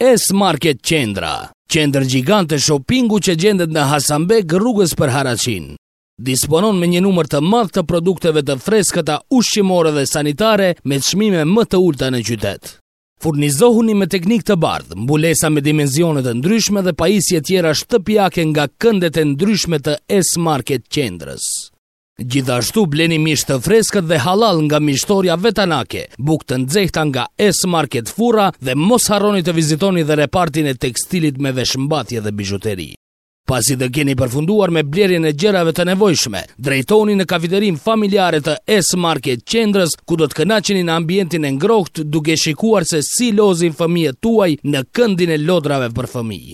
S Market Qendra, qendër gjigante shoppingu që gjendet në Hasanbeg rrugës për Haraçinë. Disponon me një numër të madh të produkteve të freskëta ushqimore dhe sanitare me çmime më të ulëta në qytet. Furnizohuni me teknikë të bardhë, mbulesa me dimensione të ndryshme dhe pajisje tjera shtëpiake nga këndet e ndryshme të S Market Qendrës. Gjithashtu bleni mish të freskët dhe hallall nga mishtorja vetanake, bukë të nxehta nga S Market Furra dhe mos harroni të vizitoni dhe repartin e tekstilit me veshmbathje dhe bizhuteri. Pasi të keni përfunduar me blerjen e gjërave të nevojshme, drejtohuni në kafeterinë familjare të S Market Qendrës, ku do të kënaqeni në ambientin e ngrohtë duke shikuar se si lozin fëmijët tuaj në këndin e lodrave për fëmijë.